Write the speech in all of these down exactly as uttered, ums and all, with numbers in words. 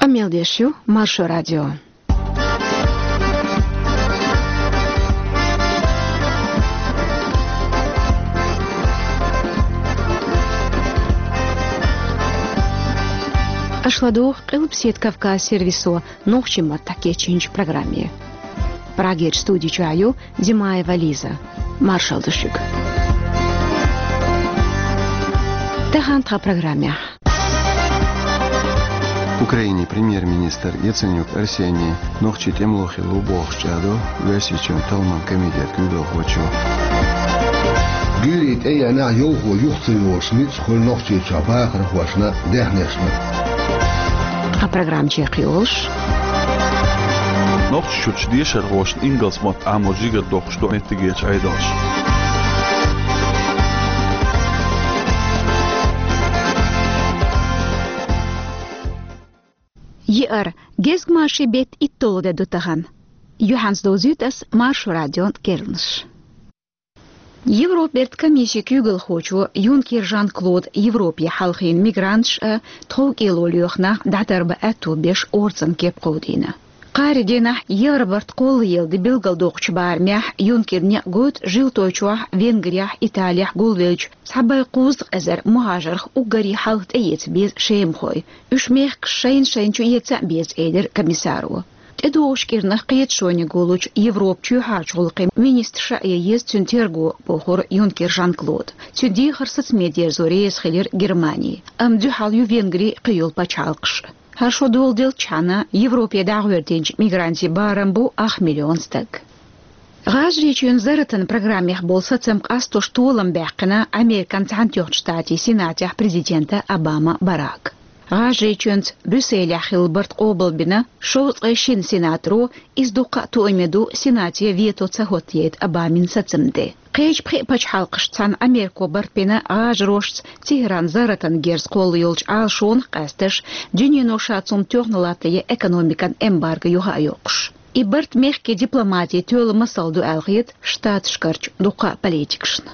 Мел деш ю Маршо радио. Аша ладугӀу Къилбаседа Кавказ сервисо нохчийн маттахь кечйинчу программе. Прагерчу студи чохь ю Димаева Лиза. Маршалла ду шуьга. Тахана тхан программехь. Украинин премьер-министр Яценюк Арсений нохчийн тӀемало хилла ву бохуш чӀагӀдо Оьрсийчоьнан талламан комитетан куьйгалхочо. Гуьйре тӀееанехь йовхо юха ца йогӀуш ницкъ хуьлу Нохчийчохь бахархошна, даьхнешна. Тхан программа чекхйолуш. Нохчийчуьрчу дешархошна ингалс мотт Ӏамо жигара доккхуш ду меттигерчу Ӏедалша. Еара, гезгмашин беттан итталгӀа де ду тахана. Юьхьанца довзуьйту ас Маршо радион керланаш. Европан бертан комиссин куьйгалхочо Юнкер Жан-Клода Европе хьалхийна мигранташ а, тховкӀело лоьху нах дӀатарбан аьтто беш орцан кеп кховдийна. Кхаарин дийнахь евробарт кхоллаелла де билгалдоккхучу барамехь Юнкера некъ гойту Жил-тойчохь, Венгрехь, Италехь гулвеллачу цхьа бӀе кхузткъа эзар мухӀажарх уггаре хьалха тӀеэца беза шемахой. Уьш мехкаш шайна-шайна чу эца а беза, элира комиссаро. ТӀедогӀучу кӀирнах кхеташониг гуллучу Европан чоьхьарчу гӀуллакхийн министрша а ян еза цуьнан терго, бохура Юнкер Жан-Клода. Цуьнан дехар сацаме дерзо реза хилира Германи, амма дуьхьал ю Венгри, кхин йолу пачхьалкхаш. ХӀара шо доладелчхьана, Европе дӀагӀоьртинчу мигрантийн барам бу ах миллион стаг. ГӀажарийчоьнан зарратан программех болу сацам къастош толам баьккхина Американ Цхьаьнатоьхначу Штатийн Сенатехь президента Обама Барака. ГӀажарийчоьнца Брюсселехь хилла барт къобалбина шовзткъе шина сенаторо, иза дуккха а тоаме ду Сенате вето ца хӀоттаяйта Обамин сацам де. Кхечу пхеа пачхьалкхашца цхьаьна Америко барт бина гӀажарошца Тегеран зарратан герз кхолла йолчу Ӏалашонах къаьсташ, дуьнено ша цунна тоьхна латтаян экономикан эмбарго юха а йоккхуш. И барт мехкийн дипломатин тоьлла масал ду аьлла хета Штаташкарчу дуккха а политикашна.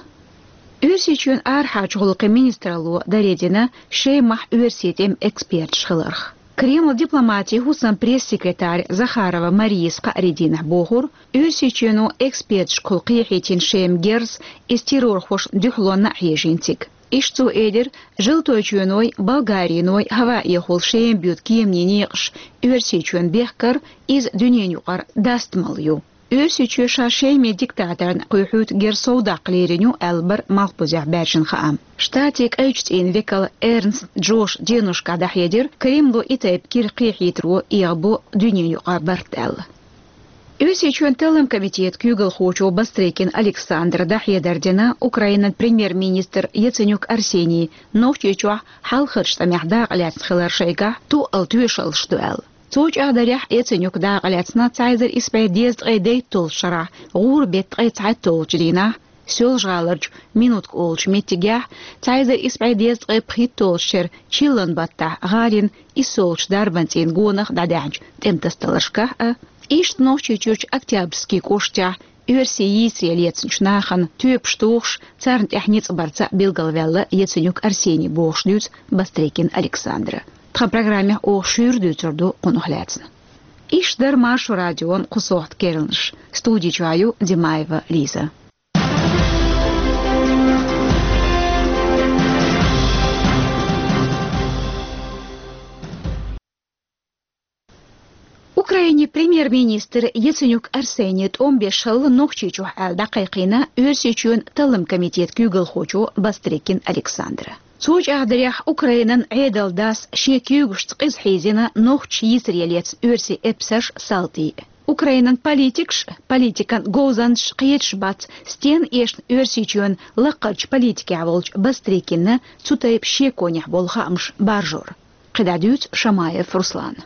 Оьрсийчоьнан арахьарчу гӀуллакхийн министралло даре дина Шемахь оьрсийн тӀеман эксперташ хиларх. Кремлан дипломатин хӀусаман пресс-секретарь Захарова Марияс кхаарин дийнахь бохура, Оьрсийчоьно эксперташкахула кхехьийтина Шеман герз, иза террорхошна дуьхьалонна а хьежийна цига. Иштта цо элира, Жил-тойчоьнойн, Болгариной хӀаваэхула Шема боьду кеманийн некъаш Оьрсийчоьнна бехкар, иза дуьненан юкъара дастамалла ю. Оьрсийчоь ша Шеман диктаторна кхоьхьуьйту герз совдаккха лерина ю аьлла бара малхбузехь баьржина хаам. Штатийн кӀайчу цӀийнан векал Эрнст Джош деношкахь дӀахьедира, Кремло и тайпа герз кхехьийтаро эгӀабо дуьненан юкъара барт аьлла. Оьрсийчоьнан таллам комитетан куьйгалхочо Бастрыкин Александра дӀахьедар дина Украинан премьер-министр Яценюк Арсений Нохчийчохь хьалхарчу тӀамехь дакъа лаьцна хилар шайгахь тоъал тоьшаллаш ду аьлла. Цо чӀагӀдарехь, Яценюк дакъа лаьцна цхьа эзар исс бӀе дезткъе дейтталгӀачу шарахь гӀуран беттан ткъе цхьайтталгӀачу дийнахь, Соьлжа-ГӀаларчу Минутка олучу меттигехь, цхьа эзар исс бӀе дезткъе пхийтталгӀачу шеран чиллан баттахь гӀалин иссолгӀачу дарбан цӀийнан гонах дӀадаьхьначу тӀематасадаларшкахь а, иштта Нохчийчуьрчу Октябрьский кӀоштахь оьрсийн йийсаре лецначу нахана тоьпаш тухуш, царна тӀехь ницкъ барца билгалваьлла Яценюк Арсений, бохуш дуьйцу Бастрыкин Александра. Тхан программехь оха шуьйра дуьйцур ду кхунах лаьцна. Иштта дара Маршо радион кху сохьта керланаш. Студи чохь ю Димаева Лиза. Украинин премьер-министр Яценюк Арсений тӀом беш хилла Нохчийчохь аьлла дӀакхайкхийна Оьрсийчоьнан таллам комитетан куьйгалхочо Бастрыкин Александра. Цо чӀагӀдарехь, Украинан Ӏедалан дас шен куьйгашца къиза хьийзийна нохчаша йийсаре лецна оьрсийн эпсарш, салтий. Украинан политикаш а, политикан говзанчаш а кхеташ бац, стенна эшна Оьрсийчоьнан лакхарчу политикехь волчу Бастрыкинна цу тайпа шеконехь болу хаамаш баржор. КхидӀа дуьйцу Шамаев Руслана.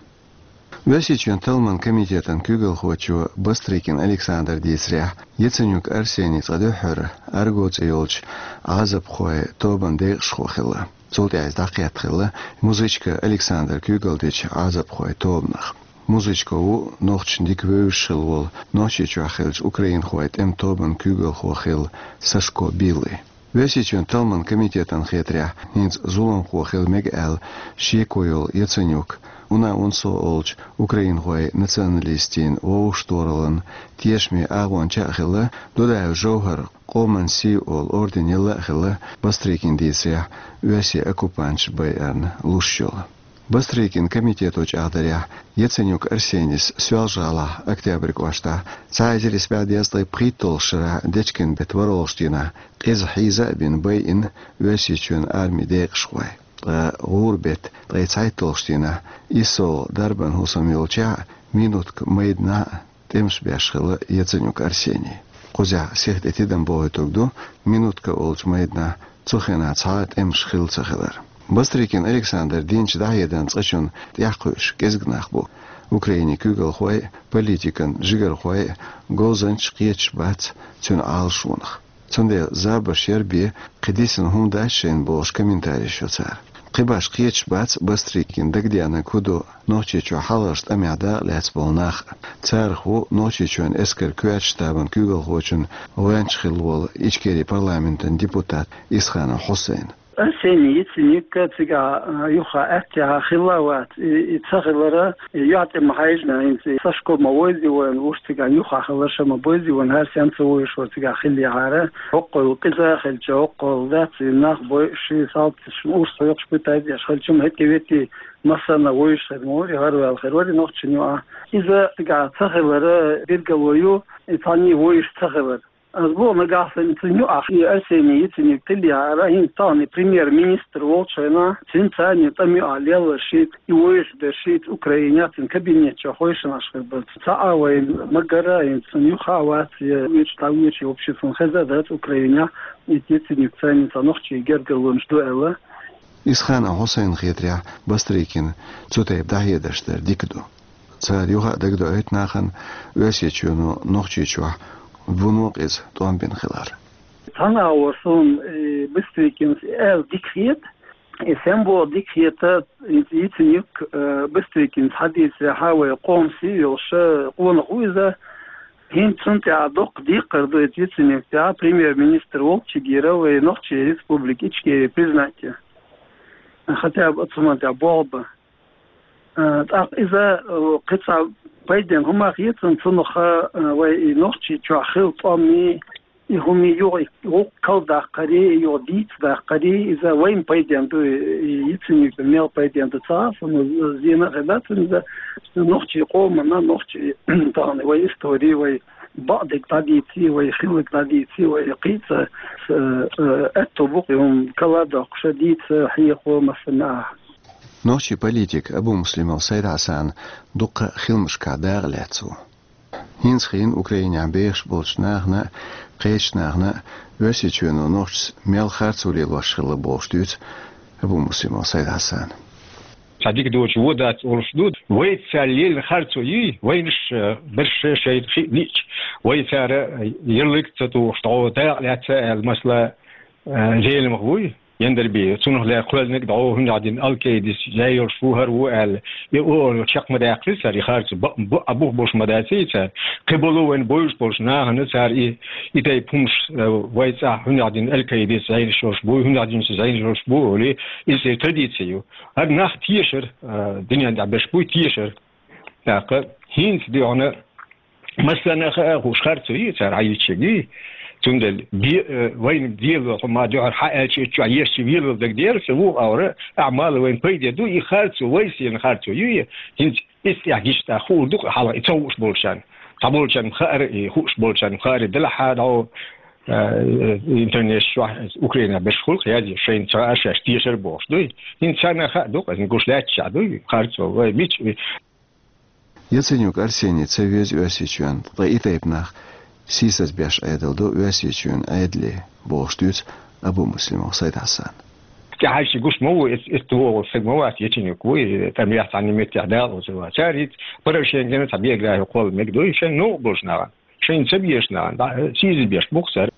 Оьрсийчоьнан талламан комитетан куьйгалхочо Бастрыкин Александра дийцарехь, Яценюк Арсений цкъа дуьххьара Арго цӀе йолчу Ӏазапхойн тобанан декъашхо хилла. Цул тӀаьхьа иза дӀакхетта хилла музычка Александра куьйгалла дечу Ӏазапхойн тобанах. Музычка ву нохчашна дика вевзаш хилла волу, Нохчийчохь хиллачу украинхойн тӀеман тобанан куьйгалхо хилла Сашко Билли. Оьрсийчоьнан талламан комитетана хетарехь, хӀинца зуламхо хила мега аьлла шеко йолу Яценюк УНА-УНСО олчу украинхойн националистийн вовшахтохараллин тешаме агӀонча а хилла, Дудаев ЖовхӀара «Къоман сий» олу орден елла а хилла Бастрыкин дийцарехь, Оьрсийн оккупанташа байарна луш йолу. Бастрыкин комитето чӀагӀдарехь, Яценюк Арсенис Соьлжа-ГӀалахь Октябрь кӀоштахь цхьа эзар исс бӀе дезткъе пхийтталгӀачу шарахь дечкен беттан ворхӀалгӀачу дийнахь къиза хьийза а бина байина Оьрсийчоьнан армин декъашхой. Ткъа гӀура беттан ткъе цхьайтталгӀачу дийнахь иссалгӀа дарбан хӀусам йолчохь а Минутка майданахь а тӀемаш беш хилла Яценюк Арсений. Кхузахь сиха тӀе тидам бохуьйтург ду, Минутка олучу майданахь цу хенахь цхьа а тӀемаш хилла ца хилар. Бастрыкин Александр динчу дӀахьедаран цкъачунна тӀаьхьакхуьуш кӀезиг нах бу. Украинин куьйгалхой а, политикан жигархой а, говзанчаш кхеташ бац цуьнан Ӏалашонах. Цундела забарш яра бен, кхин дисина хӀума дац шайна бохуш комментареш йо цара. Кхин башха кхеташ бац Бастрыкина дагадеанарг хӀун ду Нохчийчохь хьалхарчу тӀамехь дакъа лаьцна болу нах а. Царах ву Нохчийчоьнан эскаран коьртачу штабан куьйгалхочун гӀоьнча хилла волу Ичкерин парламентан депутат Исханов Хьусайн. Арсений Яценюк цигахь, а, юха аьттехьа хилла а вац. И, и ца хилар, и юьхь тӀе ма хьаьжна, хӀинца и Сашко ма вевзий вайна, уьш цигахь юха хилар, ша ма бевзий вайна, хӀара стенна ца вуьйш вара цигахь хиллехьара. ХӀоккхул къиза а хилча, хӀоккхул дац, и нах бойуш, и салташ, урс хьоькхуш, пытать деш хилча, хӀетте-ветте массарна вуьйш хир ма вара, и гӀараваьлла хир вара и нохчийн юкъахь. Иза цигахь ца хилар билгало ю, и цхьанний вуьйш ца хилар. Ас боху, нагахь санна цуьнан юкъахь и Арсений Яценюк хиллехьара, хӀинца тахана премьер-министр волчу хенахь, цуьнан царна тӀамна юкъахь лелла шийтта, и вуьйш дерш шийтта Украинехь цуьнан кабинет чохь хӀойшанаш хир бара. Цхьа а вайна ма гара, хӀинца цуьнан юха а вац, я вуьйш, дӀавуьйш, и вообще цунна хеза а дац Украинехь, и Яценюк царна цхьа нохчийн гергарлонаш ду аьлла. Исханов Хьусайнна хетарехь, Бастрыкина цу тайпа дӀахьедарш дар дика ду. Цара юха а дагадоуьйту нахана Оьрсийчоьно Нохчийчохь вуно къиза тӀом бина хилар. Цхьана агӀор суна, э, Бастрыкинас аьлла дика хета, и сенна боху дика хета, Яценюк, э, Бастрыкинца хьадийцарехь, вай «Къоман сий» йолуш къонах ву иза. ХӀинца цунна тӀехь доккха декхар ду иза Яценюк тӀехь, премьер-министр волчу гира вай Нохчийн республика Ичкери признать ян. Хотя бы оцу хӀуманна тӀехь болх бан. А, тӀаккха иза, а, кхин цхьа пайденна хӀума хецна цунах, а, вай и Нохчийчохь хилла тӀом, и хӀума юха, и гӀуллакх кхалдаккхаре, и юха дийца даккхаре, иза вайна пайденна ду, и, и Яценюкна мел пайденна ду ца хаьа, суна зена а хир дац иза, нохчийн къоманна, нохчийн тахана вай истори, вай бакъдерг дӀадийце, вай хилларг дӀадийце, вай кхин цхьа, э, э, аьтто бу-кх и хӀума кхалдоккхуш, дийца, хьехо, массарна а. Нохчийн политик Абумуслимов Сайд-Хьасан дуккха а хиламашкахь дакъа лаьцна ву. ХӀинца хиъна Украинехь бехаш болчу нахана а, кхечу нахана а Оьрсийчоьно нохчашца мел харцо лелош хилла бохуш дуьйцу Абумуслимов Сайд-Хьасана. Цхьа дика доцуш вон дац олуш ду. Вайца цара лелийна харцо юй, вайнаш, э, берш шайна хиъна лиъча, вай цара, э, ярлык ца тухуш, дӀо дакъа лаьцна аьлла, масала, э, Зеламха вуй, Яндарбиев. Цунах лаьцна кхоьллинарг дӀо хӀунда аьлча Аль-Каидас зӀе йолуш ву, хӀара ву аьлла. И о, чекх ма даьккхира цара, и харцо бу-, бу-, а бух болуш ма дац и цара. Кхин болу вайна бовзуш болчу нахана цара и, и тайпа хӀумаш, э, вай цӀахь хӀунда аьлча Аль-Каидас зӀенаш йолуш бу, хӀунда аьлча зӀенаш йолуш бу, олий, иза традици ю. ХӀара нах тешар, э, дуьнен тӀехь берш буй тешар. ТӀаккха хӀинца дуьхьал массарна а хаа хууш харцо ю цара хьаьжча. Цундела де-, э, вайна дела хӀума дуьхьал хьан аьлча, итт чохь еш велла дагадеара, сан вуха аура, ахьа мала вайна пайде ду, и харцо, вай сенна харцо ю, и хӀинца иза тӀехь гича тӀаккха хуур ду-кх хьалха и ца хууш болчарна. Цхьаболчарна хаьара, и хууш болчарна хаьара, делахь а дӀо, э, интернет чохь Украинехь берш хуьлу-кх язъеш, шайна ца хаьа шаьш тешар бохуш дуй. ХӀинца царна а хаа ду-кх, аса гуш лаьтташ а дуй, харцо вай мича. Яценюк Арсений ца веза Оьрсийчоьнна, ткъа и тайпа нах сийсаз беш Ӏедал ду Оьрсийчоьнан Ӏедале, бохуш дуьйцу Абумуслимов Сайд-Хьасана. ТӀаьхьа ши гуш ма ву, эц-, эцна вогӀу стаг ма вац, Яценюк ву, и тӀамехь цхьана меттехь дакъа лоцур вац. Цара хӀинца Порошенкона цхьа биографи кхолла мега дуй, шайна новкъа болчу нахана. Шайна ца безаш нахана, дӀа-, сийсаз беш бу-кх цара.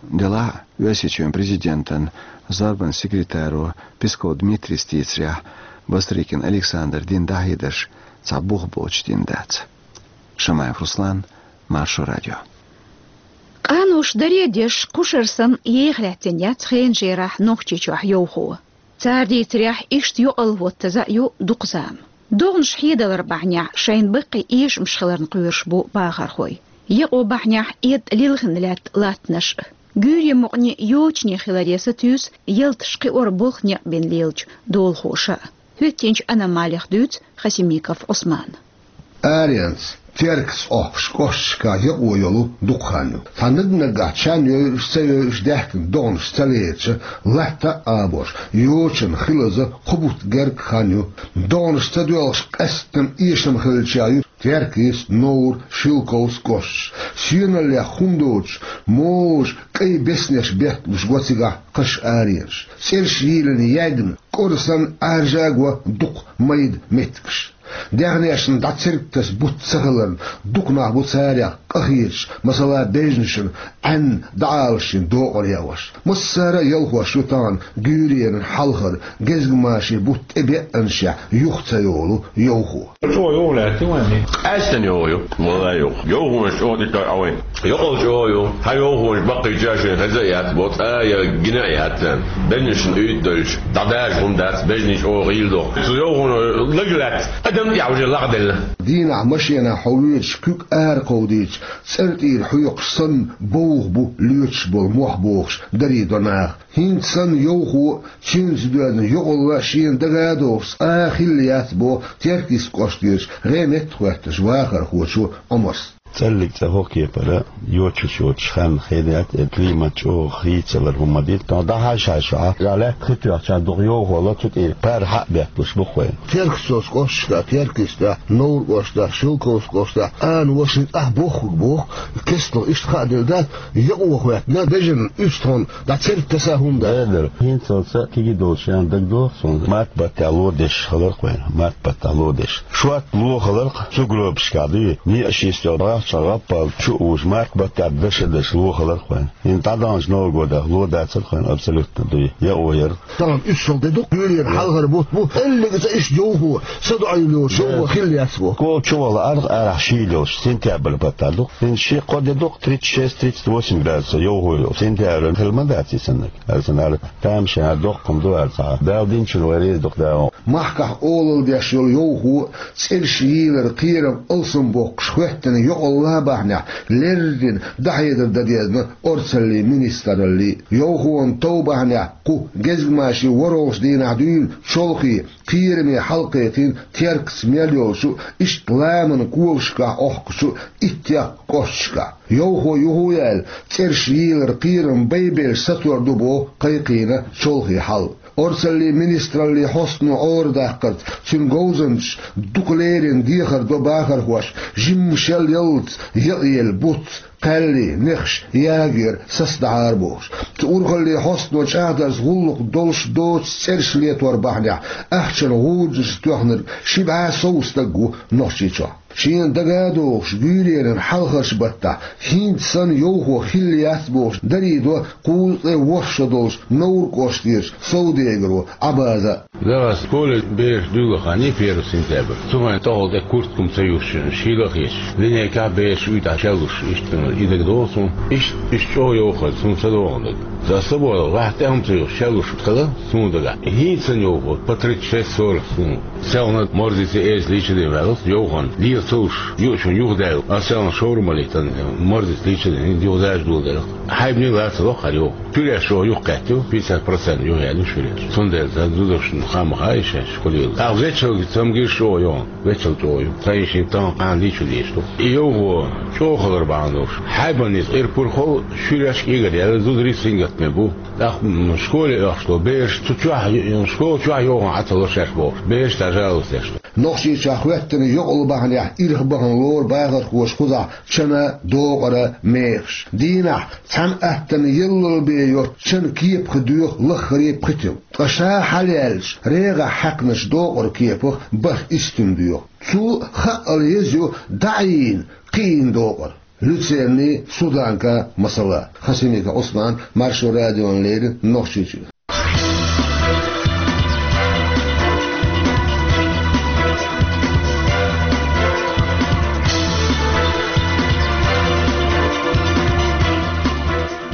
Делахь а, Оьрсийчоьнан президентан зорбанан секретаро Песков Дмитрийс дийцарехь, Бастрыкин Александр дина дӀахьедарш цхьа бух боцуш дина дац. Шамаев Руслан, Маршо радио. Къанош даре а деш, кхушара санна еха лаьттина яц хенан жерахь Нохчийчохь йовхо. Цара дийцарехь, иштта юкъалла хӀоттаза а ю дукха зама. ДогӀанаш хьедалар бахьанехь шайна баккхий эшамаш хиларна кхоьруш бу бахархой. Якъо бахьанехь эттӀа лилхина лаьтта латтанаш а. Гуьйре мукъане йочане хиларе сатуьйсу ялташ кхиор болх некъ бина лелачу долахоша а. ХӀоьттинчу аномалех дуьйцу Хасимиков Ӏусмана. Аренца, Теркаца Ӏохкуш кӀошташкахь якъо йолу дукха хан ю. Цхьа наг-наггахь чан йойуш, ца йойуш даьхкина догӀанаш ца лерича, латта а Ӏабош, йочана хилаза кхо бутт герга хан ю. ДогӀанаш ца доьлхуш къаьсттина эшам хиллачех ю Теркаца, Новр, Шелковски кӀошташ. Сеналлех хӀума доцуш, можа кӀайн беснеш бетталуш го цигахь кхаш, аренаш. ЦӀераш йийлина, яьгна, кӀора санна Ӏаьржа а го дукха майда меттигаш. Даьхнешна дӀа церг таса бутт ца хиларна, дукха нах бу царех къахеташ, масала, бежнашна Ӏаьнна дӀаалашшина докъар яош. Массара а ялхош ю тахана гуьйренан хьалхара, гезгмашин бутт тӀебеанашехь юха ца йолу йовхо. ЧӀогӀа йовхо лаьттина вайн? Къаьсттина йовхо ю, валлахӀи, йовхо. Йовхонаш чӀогӀа тӀе тойу Ӏа вайн. Йокъал чӀогӀа ю, хьан йовхонаш баккхийчаьршинна хеза а яц бо, цкъа а я гина а яц царна. Бежнашна уьйтӀа доьлча, дӀадажа хӀума дац, бежнаш чӀогӀа гӀийла доху. Цу йовхоно лаг лаьцна, адам тӀехь уже лагӀделла. Дийнахь машенахь хьо воьдуш куьг ара кховдийча, цӀера тӀера хьоькхуш санна бовха бу лоьцуш болу мох бохуш дарийдо наха. ХӀинца санна йовхо а, цуьнца доьзна йокъалла а шена дага а дохуш, цкъа а хилла яц боху Теркаца кӀоштарчу гӀеметтахӀоьттинчу вахархочо Ӏумарс. ЦӀаллиг цӀа хӀокху кепара йочуш йоцуш хан хенахь, э, климат чӀогӀа хийцалур хӀума ма ду. Тахана дӀахьаьжча хьан, гӀале, хи тоьхча дукха йовхо ло, цу тӀера пара хьа а бетталуш бу-кх вайн. Теркаца кӀошташкахь, Теркаца тӀехь, Новр кӀоштахь, Шелковски кӀоштахь, ана-ваша цӀахь бохург боху, кестнах иштта хаа делла дац, якъо хӀоьттина, бежанна уьстагӀна дӀа церг таса хӀума дац. Дера, дера. ХӀинцалц кегий долчу шен дагадогӀу суна, март баттехь ло деш хилар-кх вайн, март баттехь ло деш. Шорта ло хилар-кх сугробашкахь, дуй, некъаш йистехь, бахча гӀаппал чу а вуш, март баттехь даша-даша ло хилар-кх вайн. ХӀинца дӀадаханчу Новый годехь ло дацара-кх вайн абсолютно, дуй, якъо яра. Тахана уьссал де ду-кх, гуьйренан хьалхара бутт бу, кӀеллиг цӀа иштта йовхо, садоӀийла йолуш йовхо хилла яц боху. Кхо чу вала аргӀ арахь шийла йолуш, сентябрь баттахь ду-кх. ХӀинца ши-кхо де ду-кх, тридцать шесть, тридцать восемь градусов йовхо йолуш. Сентябрь хила ма дац и саннаг. Аса нара тамашийна доккха хӀума ду аьлла цхьа. Дала динчунна вай реза ду-кх, Дала. Махкахь олалла деш йолу йовхо а, цӀераш йийлар кхерам алсам боккхуш хӀоьттина йокъалла а бахьанехь, леррина дӀахьедар дан дезна орцаллин министралле. Йовхонан тов бахьанехь кху гезгмашин ворхӀалгӀачу дийнахь дуьйна чолхе, кхераме хьал кхайкхийна Теркаца мел йолчу, иштта ламанан когашкахь Ӏохкучу иттех кӀошташкахь. Йовхо юха а яьлла, цӀераш йийлар кхерам байбелла сатор ду боху кхайкхийна чолхе хьал. Орцаллин министраллин хьостано Ӏорадаккхарца, цуьнан говзанчаша дукха леррина дехар до бахархошна, жимма шел яллалц якъаелла буц, кхаьлли, нехаш ягор сацадахьара бохуш. Цу урхаллин хьостано чӀагӀдарца гӀуллакх долуш доцу цӀераш летор бахьанехь ахчанан гӀурдашца тоьхнарг ши бӀе сов стаг ву Нохчийчохь. Шена дага а догӀуш, гуьйренан хьалхарчу баттахь хӀинца санна йовхо хилла яц бохуш дарийдо кхузткъе ворхӀ шо долчу Новр кӀоштарчу совдегаро Ӏабаза. Дагахь школе бераш дуьйла хан ю первый сентябрь. Цу хенахь тӀехула тӀе куртка хӀума ца юьсуш, шийла а хеташ, линейкахь бераш уьйтӀахь шеллуш, иштта и дагадогӀу суна. Иштта, иштта чӀогӀа йовхо хилла, суна ца догӀу дага. Сан са боху, ваьхьа тӀе хӀума ца юьсуш шеллуш хилла суна дагахь. ХӀинца санна йовхо, по тридцать шесть сорок суна. Селхана морзица эза лийча ден ваьлла, йовхана лела ца луш, юучунна юхадаьлла, ас селхана шоврма лийтина, морзица лийча ден, юхадажа доладелла. Хьайбане лаца локхара йовха. Шуьреш чӀогӀа юхакхеттаю, пятьдесят процент юхаяьлла шуьреш. Цундела сан зудашна хаа ма хаьа и шаьш хӀун лела. ТӀаккха зечалгица цамгаш чӀогӀа йовха, вечал чӀогӀа ю. Сан йишин тахана кхана лийча дезаш ду. И йовхо чӀогӀа хилар бахьана долуш, хьайбанница ирпурхол шуьреш кӀегар яьлла, зударий сингаттаме бу. ТӀаккха, м, школе оьхуш долу бераш цу чохь, школа чохь йовхана Ӏа ца ло шаьш бохуш, бераш дӀа жалость деш ду. Нохчийчохь хӀоьттина йокъал бахьанехь ирх бахана лору бахархоша кхузахь чан а, докъар а, мехаш. Дийнахь цхьана аттана яллал бен йоцу чан кепах доьху лаххаре пхи тилла. Ткъа ша хьалаяьлча, регӀахь хьаькхначу докъар кепах бархӀ истина доьху. Цул хаъал еза ю дӀа а йийна, кхиийна докъар. Люцерни, Суданка, масала. Хасимиков Ӏусман, Маршо радиона леррина, Нохчийчуьра.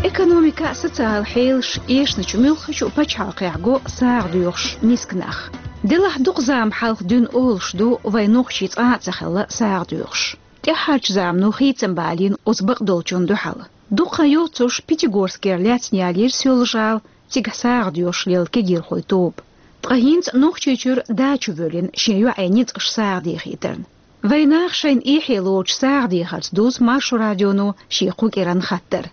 Экономика, социал хьелаш, эшначу муьлххачу пачхьалкхехь го сагӀа доьхуш миска нах. Делахь дукха зама хьалха дуьйна олуш ду вайн нохчий цкъа а ца хилла сагӀа доьхуш. ТӀаьххьарчу замано хийцам балийна оцу бакъдолчунна дуьхьал. Дукха хан йоццуш Пятигорскера лаьцна ялийра Соьлжа-ГӀала, цигахь сагӀа доьхуш лела кегийрхойн тоба. Ткъа хӀинца Нохчийчуьра дачу воьллина шен йоӀе ницкъаш сагӀа дехийтарна. Вайн наха шайна эхь лоцуш сагӀа дехарца дузу Маршо радионо шен кху кӀиранна хаттар.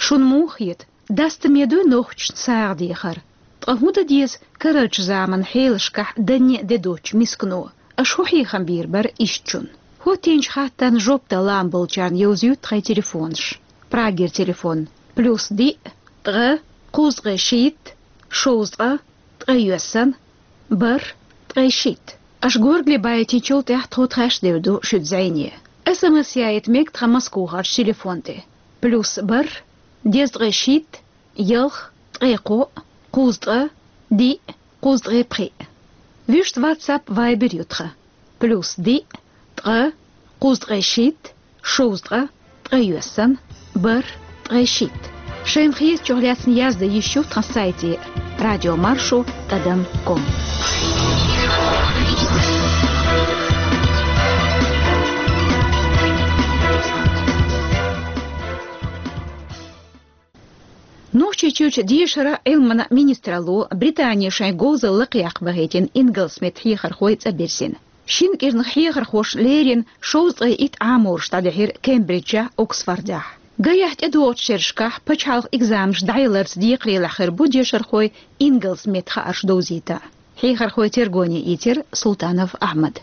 Шуна муха хета, дастаме дуй нохчашна сагӀа дехар? Ткъа хӀун дан деза карарчу заманан хьелашкахь данне а де доцучу мискано? Аша хӀун хьехам бийр бара ишттачунна? ХӀоттийначу хаттарна жоп дала лаам болчарна йовзуьйту тхайн телефонаш. Прагера телефон: плюс диъ, ткъа, кхузткъе шийтта, шовзткъа, ткъе йоьссан, бархӀ, ткъе шийтта. Аша горгали байтинчул тӀаьхьа тхо тхаьш девр ду шуьца зӀене. СМС яийта мега тхан Москвахарчу телефон тӀе: плюс бархӀ, дезткъе шийтта, ялх, ткъе кхоъ, кхузткъа, диъ, кхузткъе пхиъ. Вуьшта WhatsApp, Viber ю тхан: плюс диъ, ткъа, кхузткъе шийтта, шовзткъа, ткъе йоьссан, бархӀ, ткъе шийтта. Шайна хетачух лаьцна яздан йиш ю тхан сайте: радиомаршо тӀадам ком. Нохчийчуьрчу дешаран а, Ӏилманан а министралло Британе шайн говзалла лакхаяккха бахийтина ингалс меттан хьехархой цӀа бирзина. Шина кӀирнах хьехархошна леррина шовзткъе итт Ӏамораш дӀадихьира Кембриджехь, Оксфордехь. Гайехь тӀедогӀучу шерашкахь пачхьалкхан экзаменаш дӀаяларца декхарийлахь хир бу дешархой ингалс меттан хаарш довзийта. Хьехархойн тергоне ийцира Султанов Ахьмада.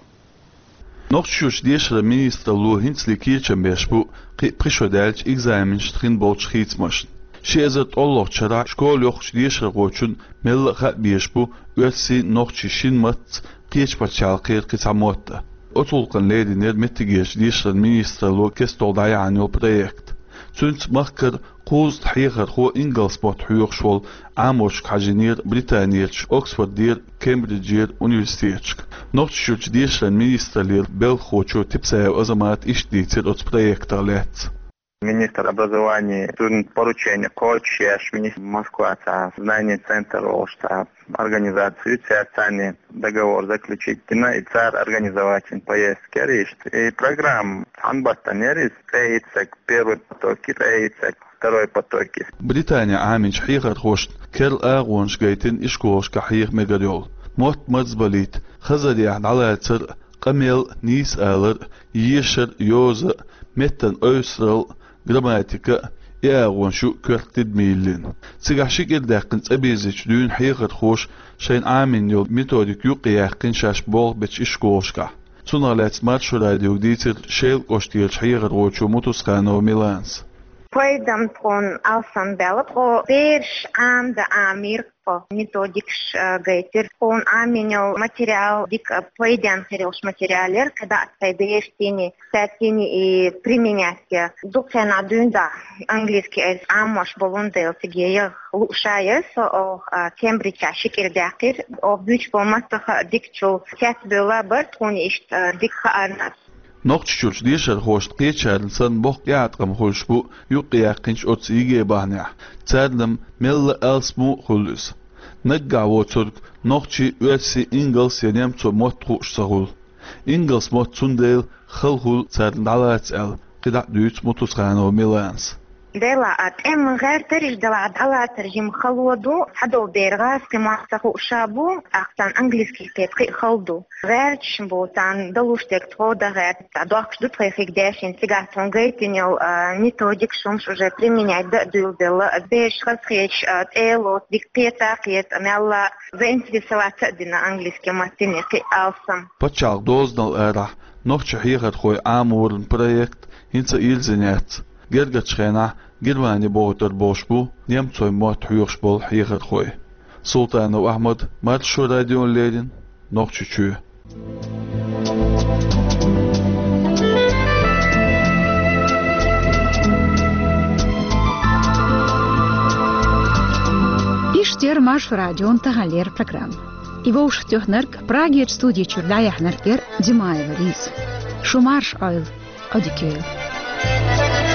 Нохчийчуьрчу дешаран министралло хӀинцале кечам беш бу кхин а пхи шо даьлча экзаменашна хин болчу хийцамашна. Ши эзар ткъолгӀачу шарахь школа йохучу дешархочунна мелла а хаа безаш бу оьрсийн, нохчийн шина маттаца кхечу пачхьалкхера кхин цхьа мотт а. Оцу гӀуллакхна леринера меттигерчу дешаран министралло кестта дӀаяьхьна йолу проект. Цуьнца махкара кхузткъа хьехархо ингалс мотт хьоьхуш волу Ӏаморшка хьажийнера Британерчу Оксфордера, Кембриджера университеташка. Нохчийчуьрчу дешаран министраллера белхахочо Типсаев Азамата иштта дийцира оцу проектах лаьцна. Министр образования цуьнан поручение кхочушъеш, министр Москва цхьа знание центр олуш цхьа организацию, цаьрца договор заключить дина, и цара организовать дина поездка яра иштта. И программа цхьана баттана яра иза, ткъе итт стаг первый поток, ткъе итт стаг второй поток. Британе Ӏаминчу хьехархошна керла агӀонаш гайтина ишколашкахь хьеха мегар йолу: мотт марзбалийта, хазарехь дӀалацар, къамел, нийса алар, ешар, йоза, меттан ойсуралла, грамматика, и агӀонаш ю коьрта тидаме йиллина. Цигахь ши кӀира даьккхина цӀа бирзича дуьйна хьехархоша шайна Ӏамийна йолу методика юкъаяьккхина шаьш болх бечу ишколашкахь. Цунах лаьцна Маршо радиога дийцира Шелан кӀоштарчу хьехархочо Мутусханова Миланас. Пайдам тхуна алсам баьлла, тхо бераш Ӏамадан Ӏамийра. Тхо методикаш, а, гайтира. Тхуна Ӏамийна йолу материал дика пайденна хир йолуш материал яра, кхидӀа а тхайн бераштийна, цаьрцийна и применять я. Дукха хенахь дуьйна дӀа английский айса Ӏамош болун дела, цига яха лууш а яра со, оха, а, Кембриджехь ши кӀира даьккхира. Оха буьйцуш болу маттаха а дикачул цецбевлла бара тхуна иштта, а, дика хаарна. Нохчийчуьрчу дешархошна кхечарна санна боккха тӀеӀаткъам хуьлуш бу юкъаяьккхинчу оцу ЕГЭ бахьанехь, царна-м мелла а алсамо а хуьлу иза. Наггахь воцург нохчийн, оьрсийн, ингалс я немцойн мотт хууш ца хуьлу. Ингалс мотт цундела хала хуьлу царна дӀалаца аьлла, кхидӀа а дуьйцу Мутусханова Миланас. Делахь а тӀеман гӀертарш, делахь а дӀалацар жимма хало ду, цхьадолу бер гӀазкхийн мотт ца хууш а бу, тӀаккха царна английский кхета кхин а хала ду. ГӀерташ бу, царна далуш дерг тхо дан гӀерта, дохкуш ду тхайн хиг дешина, цигахь тхуна гайтина йолу, а, методикаш, хӀумаш уже применять дан а дуьйладелла, бераш хазахеташ, а, цӀе а лоцу, дика кхета а кхета, мелла а заинтересоваться а дина английский маттана кхин а алсам. Пачхьалкхан дозанал арахь нохчийн хьехархойн Ӏаморан проект хӀинца а йирзина яц. Гергарчу хенахь Германи бохуьйтур болуш бу немцойн мотт хьоьхуш болу хьехархой. Султанов Ахьмад, Маршо радиона леррина, Нохчийчоь. Иштта яра Маршо радион таханлера программа. И вовшахтоьхнарг, Прагерчу студи чуьра дӀаяьхьнарг яра Димаева Лиза. Шу марша Ӏойла, Ӏодика йойла.